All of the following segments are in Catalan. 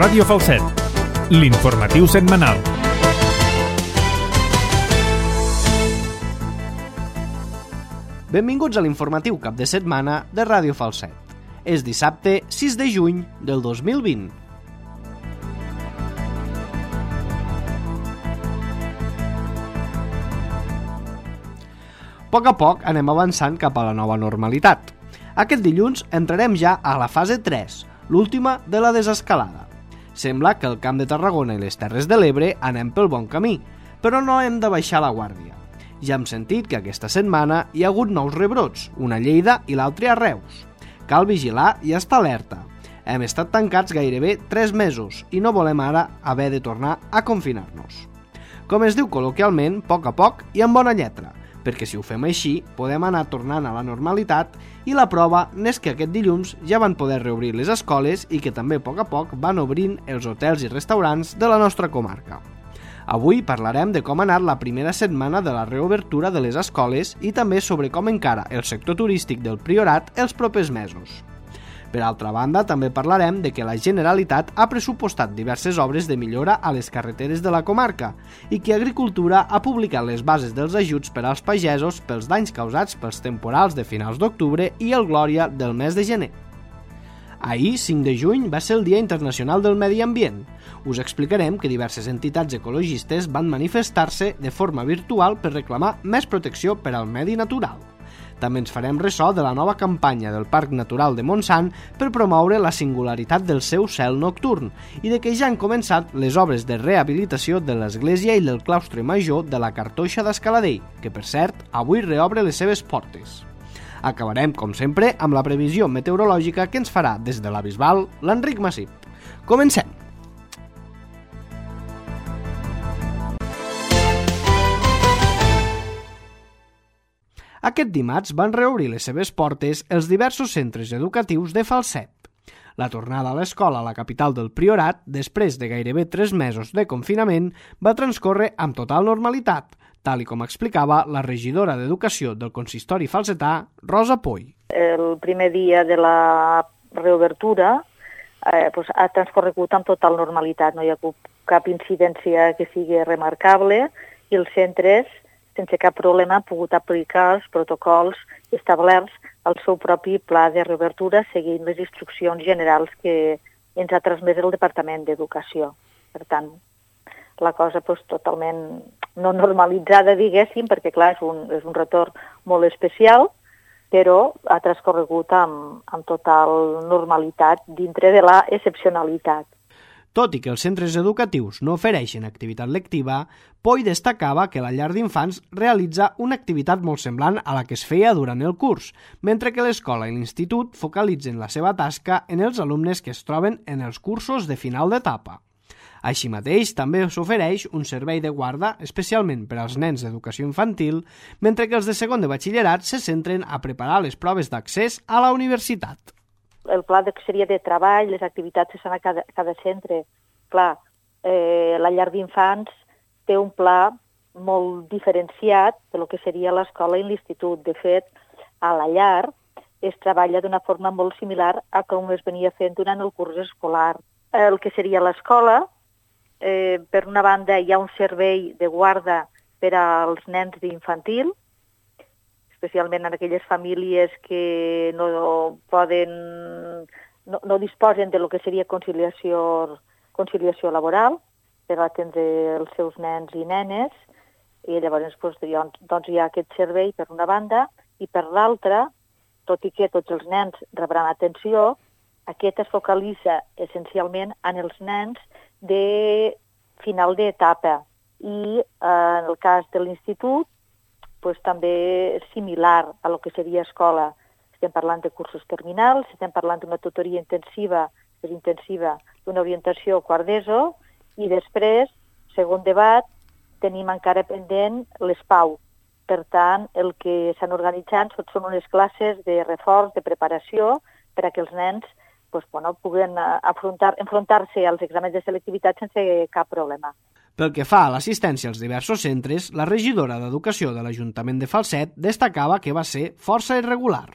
Ràdio Falset, l'informatiu setmanal. Benvinguts a l'informatiu cap de setmana de Ràdio Falset. És dissabte 6 de juny del 2020. A poc a poc anem avançant cap a la nova normalitat. Aquest dilluns entrarem ja a la fase 3, l'última de la desescalada. Sembla que al Camp de Tarragona i les Terres de l'Ebre anem pel bon camí, però no hem de baixar la guàrdia. Ja hem sentit que aquesta setmana hi ha hagut nous rebrots, una a Lleida i l'altre a Reus. Cal vigilar i estar alerta. Hem estat tancats gairebé 3 mesos i no volem ara haver de tornar a confinar-nos. Com es diu col·loquialment, a poc i amb bona lletra, perquè si ho fem així podem anar tornant a la normalitat i la prova n'és que aquest dilluns ja van poder reobrir les escoles i que també a poc van obrint els hotels i restaurants de la nostra comarca. Avui parlarem de com ha anat la primera setmana de la reobertura de les escoles i també sobre com encara el sector turístic del Priorat els propers mesos. Per altra banda, també parlarem de que la Generalitat ha pressupostat diverses obres de millora a les carreteres de la comarca i que Agricultura ha publicat les bases dels ajuts per als pagesos pels danys causats pels temporals de finals d'octubre i el Glòria del mes de gener. Ahir, 5 de juny, va ser el Dia Internacional del Medi Ambient. Us explicarem que diverses entitats ecologistes van manifestar-se de forma virtual per reclamar més protecció per al medi natural. També ens farem ressò de la nova campanya del Parc Natural de Montsant per promoure la singularitat del seu cel nocturn i de que ja han començat les obres de rehabilitació de l'església i del claustre major de la Cartoixa d'Escaladell, que per cert avui reobre les seves portes. Acabarem, com sempre, amb la previsió meteorològica que ens farà des de la Bisbal l'Enric Massip. Comencem! Aquest dimarts van reobrir les seves portes els diversos centres educatius de Falset. La tornada a l'escola a la capital del Priorat, després de gairebé 3 mesos de confinament, va transcórrer amb total normalitat, tal i com explicava la regidora d'Educació del consistori falsetà, Rosa Poy. El primer dia de la reobertura ha transcorregut amb total normalitat, no hi ha hagut cap incidència que sigui remarcable i els centres sense cap problema han pogut aplicar els protocols establerts al seu propi pla de reobertura seguint les instruccions generals que ens ha transmès el Departament d'Educació. Per tant, la cosa totalment no normalitzada, diguéssim, perquè clar, és un retorn molt especial, però ha transcorregut amb total normalitat dintre de la excepcionalitat. Tot i que els centres educatius no ofereixen activitat lectiva, Poy destacava que la llar d'infants realitza una activitat molt semblant a la que es feia durant el curs, mentre que l'escola i l'institut focalitzen la seva tasca en els alumnes que es troben en els cursos de final d'etapa. Així mateix, també s'ofereix un servei de guarda especialment per als nens d'educació infantil, mentre que els de segon de batxillerat se centren a preparar les proves d'accés a la universitat. El pla seria de treball, les activitats que són a cada centre. Clar, la llar d'infants té un pla molt diferenciat de lo que seria l'escola i l'institut. De fet, a la llar es treballa d'una forma molt similar a com es venia fent durant el curs escolar. El que seria l'escola, per una banda hi ha un servei de guarda per als nens d'infantil, especialment en aquelles famílies que no disposen de lo que seria conciliació laboral per atendre els seus nens i nenes, i llavors hi ha aquest servei per una banda, i per l'altra, tot i que tots els nens rebran atenció, aquest es focalitza essencialment en els nens de final d'etapa, i en el cas de l'institut, també similar a lo que seria escola. Estem parlant de cursos terminals, estem parlant d'una tutoria intensiva, d'una orientació quart d'ESO, i després, segon debat, tenim encara pendent les PAU. Per tant, el que s'han organitzat són unes classes de reforç, de preparació, per a que els nens puguen enfrontar-se als exàmens de selectivitat sense cap problema. Pel que fa a l'assistència als diversos centres, la regidora d'Educació de l'Ajuntament de Falset destacava que va ser força irregular.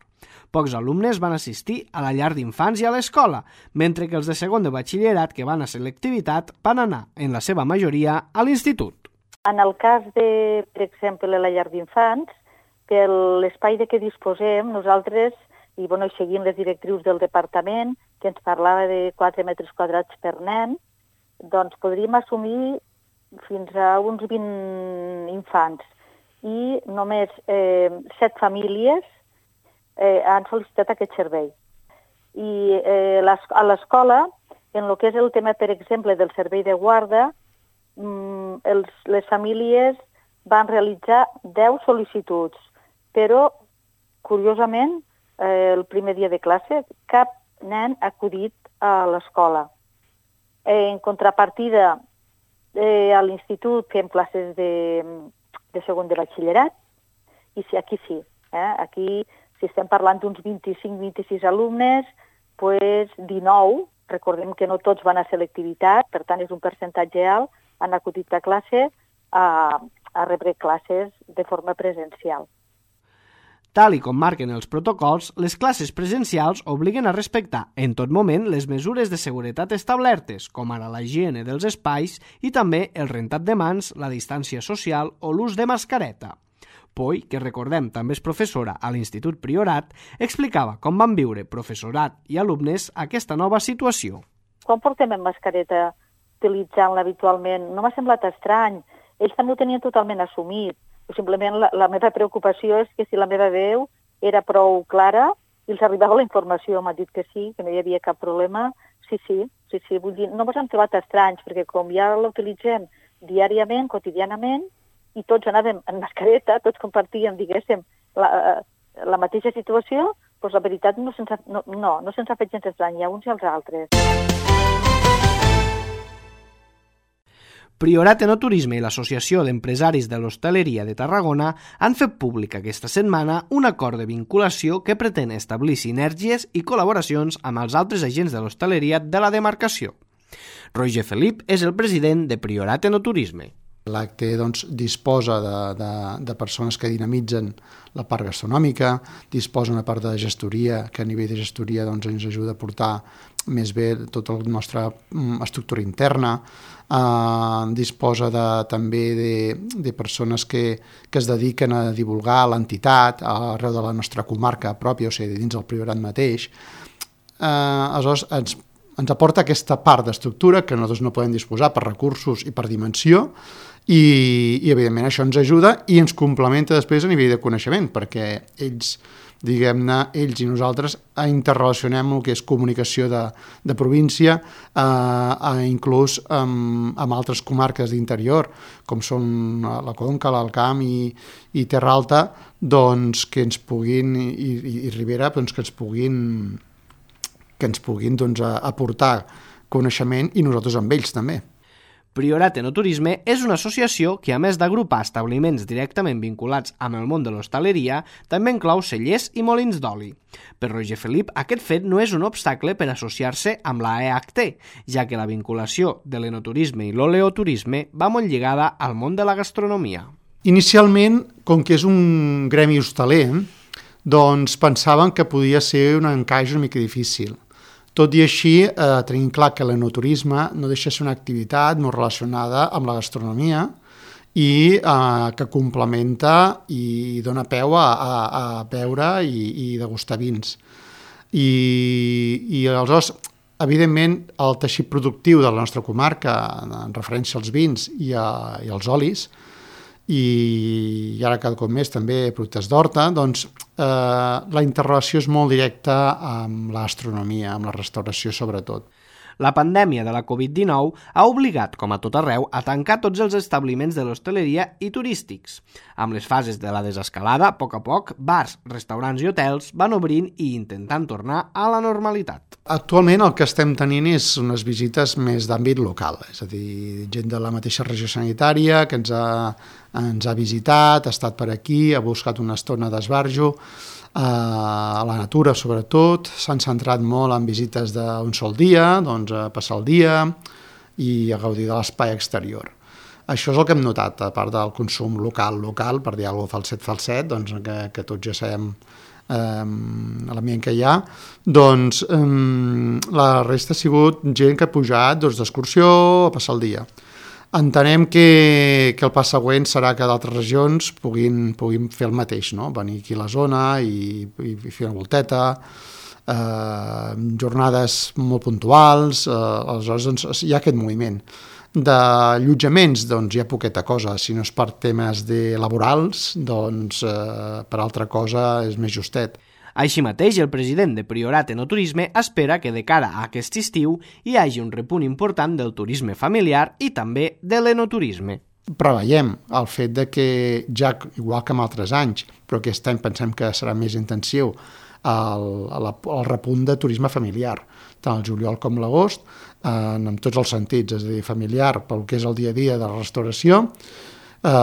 A Pocs alumnes van assistir a la llar d'infants i a l'escola, mentre que els de segon de batxillerat que van a selectivitat van anar, en la seva majoria, a l'institut. En el cas de, per exemple, la llar d'infants, per l'espai de què disposem, nosaltres, i seguint les directrius del departament, que ens parlava de 4 metres quadrats per nen, doncs podríem assumir fins a uns 20 infants. I només 7 famílies han sol·licitat aquest servei. I a l'escola, en el que és el tema, per exemple, del servei de guarda, les famílies van realitzar 10 sol·licituds, però, curiosament, el primer dia de classe, cap nen ha acudit a l'escola. En contrapartida, a l'institut fem classes de segon de batxillerat, i sí, aquí sí. Aquí, si estem parlant d'uns 25-26 alumnes, doncs 19, recordem que no tots van a selectivitat, per tant és un percentatge alt, han acudit a classe a rebre classes de forma presencial. Tal i com marquen els protocols, les classes presencials obliguen a respectar en tot moment les mesures de seguretat establertes, com ara la higiene dels espais i també el rentat de mans, la distància social o l'ús de mascareta. Poi, que recordem també és professora a l'Institut Priorat, explicava com van viure professorat i alumnes aquesta nova situació. Quan portem en mascareta utilitzant-la habitualment, no m'ha semblat estrany. Ells també ho tenien totalment assumit. Simplement la meva preocupació és que si la meva veu era prou clara i els arribava la informació, m'ha dit que sí, que no hi havia cap problema. Sí, vull dir, no ens han trobat estranys, perquè com ja l'utilitzem diàriament, quotidianament, i tots anàvem en mascareta, tots compartíem, diguéssim, la mateixa situació, doncs la veritat no se'ns ha fet gens estrany, a uns i als altres. Priorat Enoturisme i l'Associació d'Empresaris de l'Hostaleria de Tarragona han fet públic aquesta setmana un acord de vinculació que pretén establir sinergies i col·laboracions amb els altres agents de l'hostaleria de la demarcació. Roger Felip és el president de Priorat Enoturisme. L'acte disposa de persones que dinamitzen la part gastronòmica, disposa una part de gestoria, que a nivell de gestoria ens ajuda a portar més bé tota la nostra estructura interna, disposa també de persones que es dediquen a divulgar l'entitat arreu de la nostra comarca pròpia, o sigui, dins del Priorat mateix. Aleshores, ens aporta aquesta part d'estructura que nosaltres no podem disposar per recursos i per dimensió, i evidentment això ens ajuda i ens complementa després a nivell de coneixement, perquè ells i nosaltres interrelacionem el que és comunicació de província, inclús amb altres comarques d'interior, com són la Conca, l'Alt Camp i Terra Alta, doncs que ens puguin, i Ribera, doncs que ens puguin aportar coneixement i nosaltres amb ells també. Priorat Enoturisme és una associació que, a més d'agrupar establiments directament vinculats amb el món de l'hostaleria, també inclou cellers i molins d'oli. Per Roger Felip, aquest fet no és un obstacle per associar-se amb la EHT, ja que la vinculació de l'enoturisme i l'oleoturisme va molt lligada al món de la gastronomia. Inicialment, com que és un gremi hostaler, doncs pensaven que podia ser un encaix una mica difícil. Tot i així, tenim clar que l'enoturisme no deixa de ser una activitat molt relacionada amb la gastronomia i que complementa i dona peu a beure i degustar vins. I aleshores, evidentment, el teixit productiu de la nostra comarca, en referència als vins i als olis, i ara cada cop més també productes d'horta, doncs la interrelació és molt directa amb la gastronomia, amb la restauració sobretot. La pandèmia de la Covid-19 ha obligat, com a tot arreu, a tancar tots els establiments de l'hostaleria i turístics. Amb les fases de la desescalada, a poc, bars, restaurants i hotels van obrint i intentant tornar a la normalitat. Actualment el que estem tenint és unes visites més d'àmbit local, és a dir, gent de la mateixa regió sanitària que ens ha visitat, ha estat per aquí, ha buscat una estona d'esbarjo, a la natura sobretot, s'han centrat molt en visites d'un sol dia, doncs a passar el dia i a gaudir de l'espai exterior. Això és el que hem notat, a part del consum local, per dir alguna cosa, fa el 7, doncs que tots ja sabem l'ambient que hi ha, doncs la resta ha sigut gent que ha pujat d'excursió a passar el dia. Entenem que el pas següent serà que d'altres regions puguin fer el mateix, no? Venir aquí a la zona i fer una volteta, jornades molt puntuals, aleshores doncs, hi ha aquest moviment. D'allotjaments, doncs hi ha poqueta cosa, si no és per temes laborals, doncs per altra cosa és més justet. Així mateix, el president de Priorat Enoturisme espera que de cara a aquest estiu hi hagi un repunt important del turisme familiar i també de l'enoturisme. Preveiem el fet de que ja, igual que en altres anys, però aquest any pensem que serà més intensiu, el repunt de turisme familiar, tant el juliol com l'agost, en tots els sentits, és a dir, familiar pel que és el dia a dia de la restauració,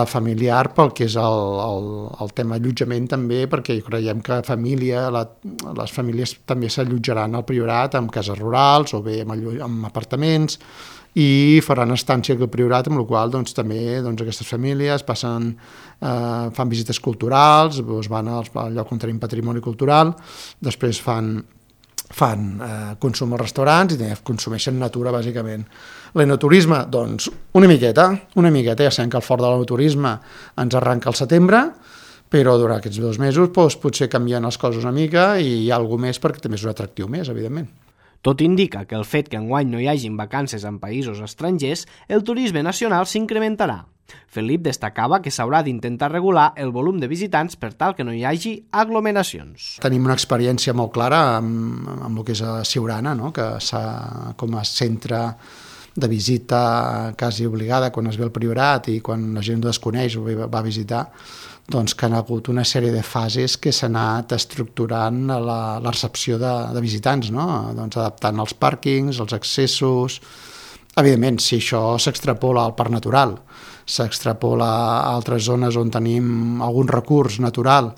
familiar pel que és el tema allotjament també, perquè creiem que les famílies també s'allotjaran al Priorat amb cases rurals o bé amb apartaments i faran estància al Priorat, amb la qual cosa també aquestes famílies fan visites culturals, van al lloc on tenim patrimoni cultural, després fan consum als restaurants i també consumeixen natura, bàsicament. L'enoturisme, doncs, una miqueta, ja sabem que el fort de l'enoturisme ens arranca al setembre, però durant aquests 2 mesos potser canvien les coses una mica i hi ha alguna més perquè també és un atractiu més, evidentment. Tot indica que el fet que enguany no hi hagin vacances en països estrangers, el turisme nacional s'incrementarà. Felip destacava que s'haurà d'intentar regular el volum de visitants per tal que no hi hagi aglomeracions. Tenim una experiència molt clara amb el que és a Siurana, no? Que com a centre de visita quasi obligada quan es ve al Priorat i quan la gent ho desconeix o va a visitar, doncs que han hagut una sèrie de fases que s'ha anat estructurant a la recepció de visitants, no? Doncs adaptant els pàrquings, els accessos. Evidentment, si això s'extrapola al parc natural, s'extrapola a altres zones on tenim algun recurs natural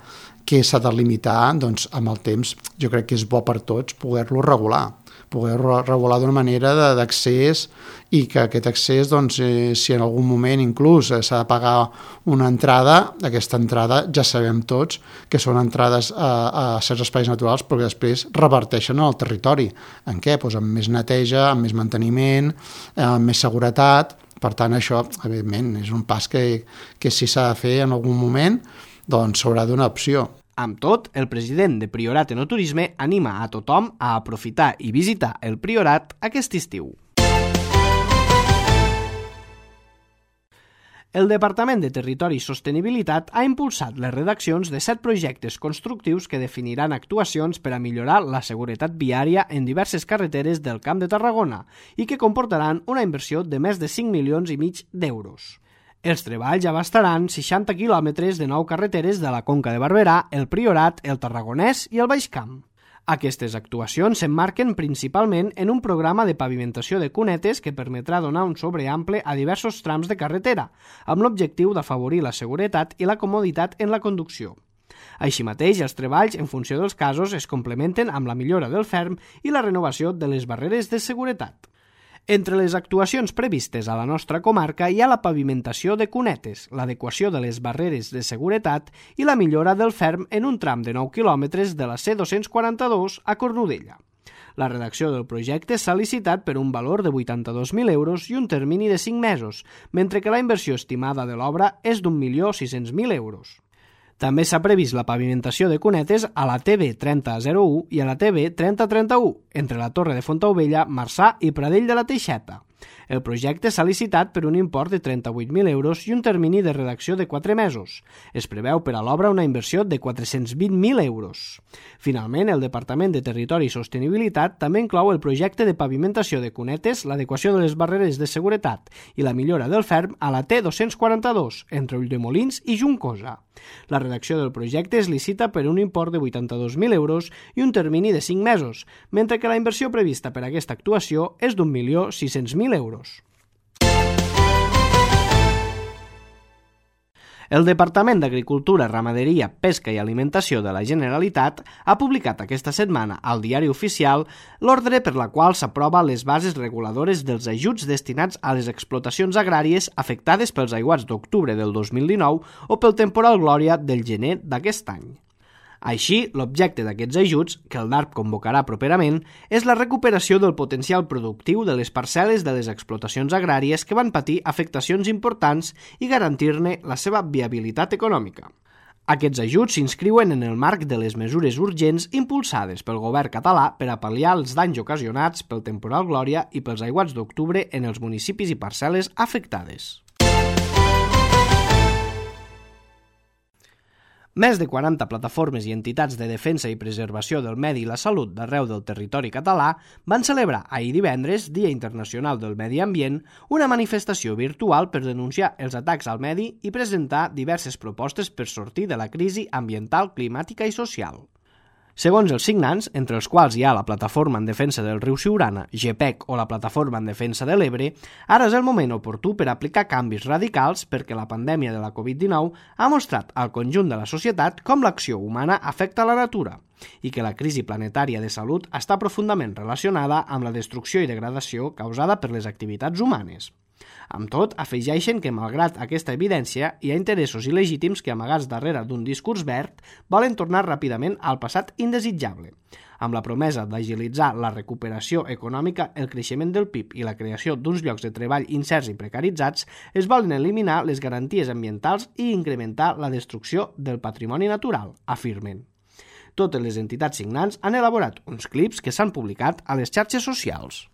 que s'ha de limitar, doncs amb el temps jo crec que és bo per tots poder-lo regular d'una manera d'accés i que aquest accés, doncs, si en algun moment inclús s'ha de pagar una entrada, aquesta entrada ja sabem tots que són entrades a certs espais naturals però que després reverteixen al territori. En què? Doncs amb més neteja, amb més manteniment, amb més seguretat. Per tant, això, evidentment, és un pas que si s'ha de fer en algun moment, doncs s'haurà d'una opció. Amb tot, el president de Priorat Enoturisme anima a tothom a aprofitar i visitar el Priorat aquest estiu. El Departament de Territori i Sostenibilitat ha impulsat les redaccions de 7 projectes constructius que definiran actuacions per a millorar la seguretat viària en diverses carreteres del Camp de Tarragona i que comportaran una inversió de més de 5,5 milions d'euros. Els treballs abastaran 60 quilòmetres de 9 carreteres de la Conca de Barberà, el Priorat, el Tarragonès i el Baix Camp. Aquestes actuacions s'emmarquen principalment en un programa de pavimentació de cunetes que permetrà donar un sobreample a diversos trams de carretera, amb l'objectiu d'afavorir la seguretat i la comoditat en la conducció. Així mateix, els treballs, en funció dels casos, es complementen amb la millora del ferm i la renovació de les barreres de seguretat. Entre les actuacions previstes a la nostra comarca hi ha la pavimentació de cunetes, l'adequació de les barreres de seguretat i la millora del ferm en un tram de 9 quilòmetres de la C242 a Cornudella. La redacció del projecte s'ha licitat per un valor de 82.000 euros i un termini de 5 mesos, mentre que la inversió estimada de l'obra és d'1.600.000 euros. També s'ha previst la pavimentació de cunetes a la TB 3001 i a la TB 3031, entre la Torre de Fontaubella, Marçà i Pradell de la Teixeta. El projecte s'ha licitat per un import de 38.000 euros i un termini de redacció de 4 mesos. Es preveu per a l'obra una inversió de 420.000 euros. Finalment, el Departament de Territori i Sostenibilitat també inclou el projecte de pavimentació de cunetes, l'adequació de les barreres de seguretat i la millora del ferm a la T242, entre Ulldemolins i Juncosa. La redacció del projecte es licita per un import de 82.000 euros i un termini de 5 mesos, mentre que la inversió prevista per a aquesta actuació és d'1.600.000 euros. El Departament d'Agricultura, Ramaderia, Pesca i Alimentació de la Generalitat ha publicat aquesta setmana al Diari Oficial l'ordre per la qual s'aprova les bases reguladores dels ajuts destinats a les explotacions agràries afectades pels aiguats d'octubre del 2019 o pel temporal Glòria del gener d'aquest any. Així, l'objecte d'aquests ajuts, que el DARP convocarà properament, és la recuperació del potencial productiu de les parcel·les de les explotacions agràries que van patir afectacions importants i garantir-ne la seva viabilitat econòmica. Aquests ajuts s'inscriuen en el marc de les mesures urgents impulsades pel govern català per a pal·liar els danys ocasionats pel temporal Glòria i pels aiguats d'octubre en els municipis i parcel·les afectades. Més de 40 plataformes i entitats de defensa i preservació del medi i la salut d'arreu del territori català van celebrar ahir divendres, Dia Internacional del Medi Ambient, una manifestació virtual per denunciar els atacs al medi i presentar diverses propostes per sortir de la crisi ambiental, climàtica i social. Segons els signants, entre els quals hi ha la Plataforma en Defensa del Riu Siurana, GEPEC o la Plataforma en Defensa de l'Ebre, ara és el moment oportú per aplicar canvis radicals perquè la pandèmia de la Covid-19 ha mostrat al conjunt de la societat com l'acció humana afecta la natura i que la crisi planetària de salut està profundament relacionada amb la destrucció i degradació causada per les activitats humanes. Amb tot, afegeixen que, malgrat aquesta evidència, hi ha interessos il·legítims que, amagats darrere d'un discurs verd, volen tornar ràpidament al passat indesitjable, amb la promesa d'agilitzar la recuperació econòmica, el creixement del PIB i la creació d'uns llocs de treball incerts i precaritzats, es volen eliminar les garanties ambientals i incrementar la destrucció del patrimoni natural, afirmen. Totes les entitats signants han elaborat uns clips que s'han publicat a les xarxes socials.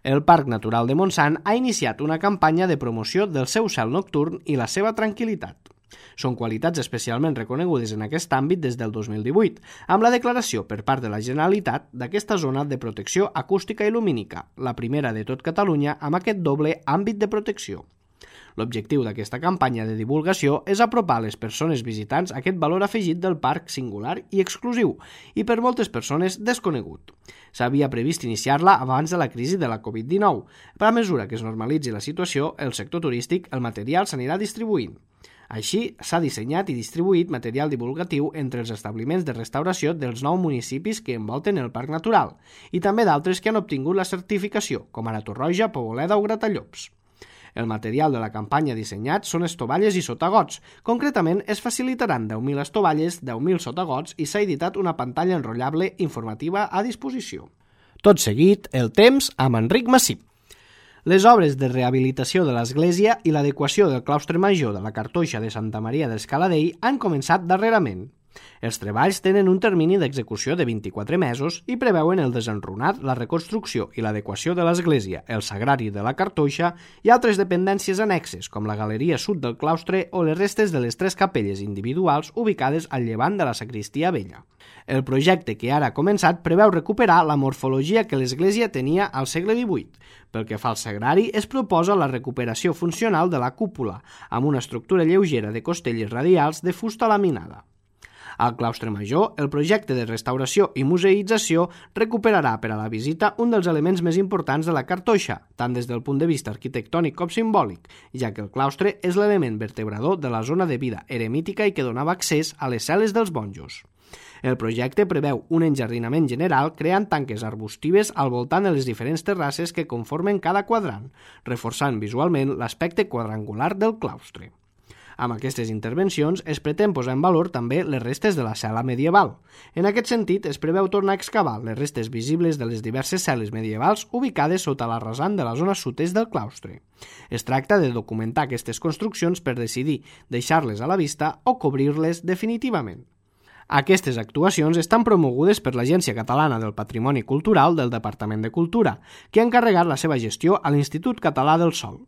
El Parc Natural de Montsant ha iniciat una campanya de promoció del seu cel nocturn i la seva tranquil·litat. Són qualitats especialment reconegudes en aquest àmbit des del 2018, amb la declaració per part de la Generalitat d'aquesta zona de protecció acústica i lumínica, la primera de tot Catalunya amb aquest doble àmbit de protecció. L'objectiu d'aquesta campanya de divulgació és apropar a les persones visitants aquest valor afegit del parc singular i exclusiu, i per moltes persones desconegut. S'havia previst iniciar-la abans de la crisi de la Covid-19, però a mesura que es normalitzi la situació, el sector turístic, el material s'anirà distribuint. Així, s'ha dissenyat i distribuït material divulgatiu entre els establiments de restauració dels 9 municipis que envolten el Parc Natural i també d'altres que han obtingut la certificació, com ara Torroja, Poboleda o Gratallops. El material de la campanya dissenyat són estovalles i sotagots. Concretament, es facilitaran 10.000 estovalles, 10.000 sotagots i s'ha editat una pantalla enrotllable informativa a disposició. Tot seguit, el temps amb Enric Massip. Les obres de rehabilitació de l'església i l'adequació del claustre major de la Cartoixa de Santa Maria d'Escaladei han començat darrerament. Els treballs tenen un termini d'execució de 24 mesos i preveuen el desenrunat, la reconstrucció i l'adequació de l'església, el sagrari de la Cartoixa i altres dependències annexes, com la galeria sud del claustre o les restes de les 3 capelles individuals ubicades al llevant de la sagristia vella. El projecte que ara ha començat preveu recuperar la morfologia que l'església tenia al segle XVIII. Pel que fa al sagrari, es proposa la recuperació funcional de la cúpula, amb una estructura lleugera de costelles radials de fusta laminada. Al claustre major, el projecte de restauració i museïtzació recuperarà per a la visita un dels elements més importants de la Cartoixa, tant des del punt de vista arquitectònic com simbòlic, ja que el claustre és l'element vertebrador de la zona de vida eremítica i que donava accés a les cel·les dels monjos. El projecte preveu un enjardinament general creant tanques arbustives al voltant de les diferents terrasses que conformen cada quadrant, reforçant visualment l'aspecte quadrangular del claustre. Amb aquestes intervencions es pretén posar en valor també les restes de la cel·la medieval. En aquest sentit, es preveu tornar a excavar les restes visibles de les diverses cel·les medievals ubicades sota la rasant de la zona sud-est del claustre. Es tracta de documentar aquestes construccions per decidir deixar-les a la vista o cobrir-les definitivament. Aquestes actuacions estan promogudes per l'Agència Catalana del Patrimoni Cultural del Departament de Cultura, que ha encarregat la seva gestió a l'Institut Català del Sòl.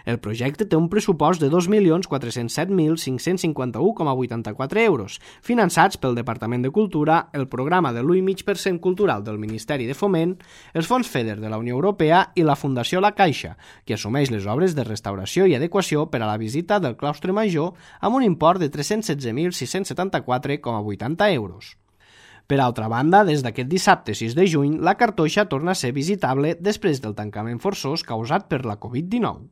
El projecte té un pressupost de 2.407.551,84 euros, finançats pel Departament de Cultura, el programa de l'1,5% cultural del Ministeri de Foment, els fons FEDER de la Unió Europea i la Fundació La Caixa, que assumeix les obres de restauració i adequació per a la visita del claustre major amb un import de 316.674,80 euros. Per altra banda, des d'aquest dissabte 6 de juny, la Cartoixa torna a ser visitable després del tancament forçós causat per la Covid-19.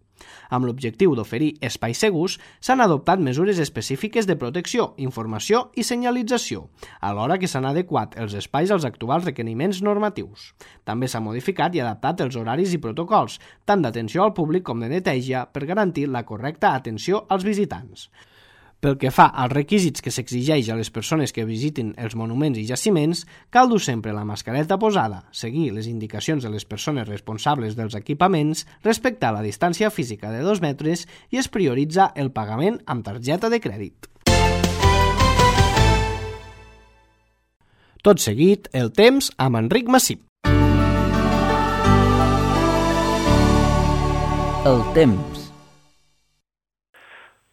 Amb l'objectiu d'oferir espais segurs, s'han adoptat mesures específiques de protecció, informació i senyalització, alhora que s'han adequat els espais als actuals requeriments normatius. També s'ha modificat i adaptat els horaris i protocols, tant d'atenció al públic com de neteja, per garantir la correcta atenció als visitants. Pel que fa als requisits que s'exigeix a les persones que visitin els monuments i jaciments, cal dur sempre la mascareta posada, seguir les indicacions de les persones responsables dels equipaments, respectar la distància física de 2 metres i es prioritza el pagament amb targeta de crèdit. Tot seguit, el temps amb Enric Massip. El temps.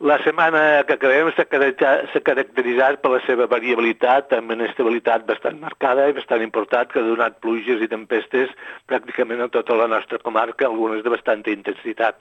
La setmana que acabem s'ha caracteritzat per la seva variabilitat amb inestabilitat bastant marcada i bastant important, que ha donat pluges i tempestes pràcticament a tota la nostra comarca, algunes de bastanta intensitat.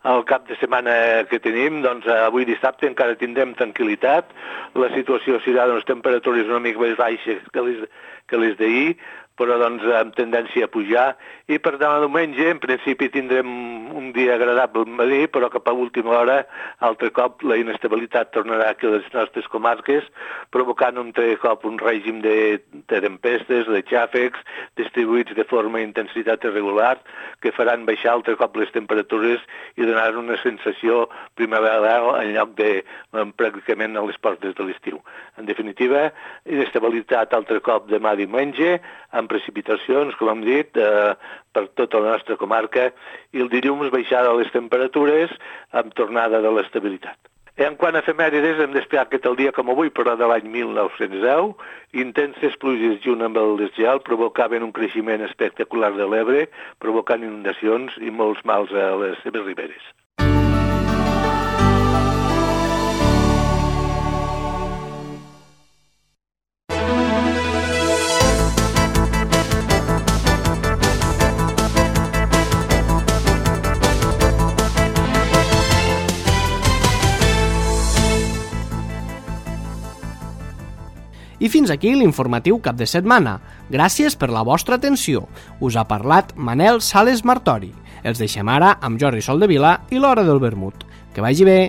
El cap de setmana que tenim, doncs avui dissabte encara tindrem tranquil·litat, la situació serà d'unes temperatures una mica més baixes que les d'ahir, però doncs amb tendència a pujar, i per demà diumenge en principi tindrem un dia agradable al matí, però cap a última hora altre cop la inestabilitat tornarà aquí a les nostres comarques, provocant altre cop un règim de tempestes, de xàfecs, distribuïts de forma i intensitat irregular, que faran baixar altre cop les temperatures i donaran una sensació primaveral en lloc de pràcticament a les portes de l'estiu. En definitiva, inestabilitat altre cop demà diumenge, amb precipitacions, com hem dit, per tota la nostra comarca, i el dilluns baixada les temperatures amb tornada de l'estabilitat. En quant a efemèrides, hem d'esperar aquest el dia com avui, però de l'any 1910, intenses pluges junt amb el desgel provocaven un creixement espectacular de l'Ebre, provocant inundacions i molts mals a les seves riberes. I fins aquí l'informatiu cap de setmana. Gràcies per la vostra atenció. Us ha parlat Manel Sales Martori. Els deixem ara amb Jordi Soldevila i l'Hora del Vermut. Que vagi bé!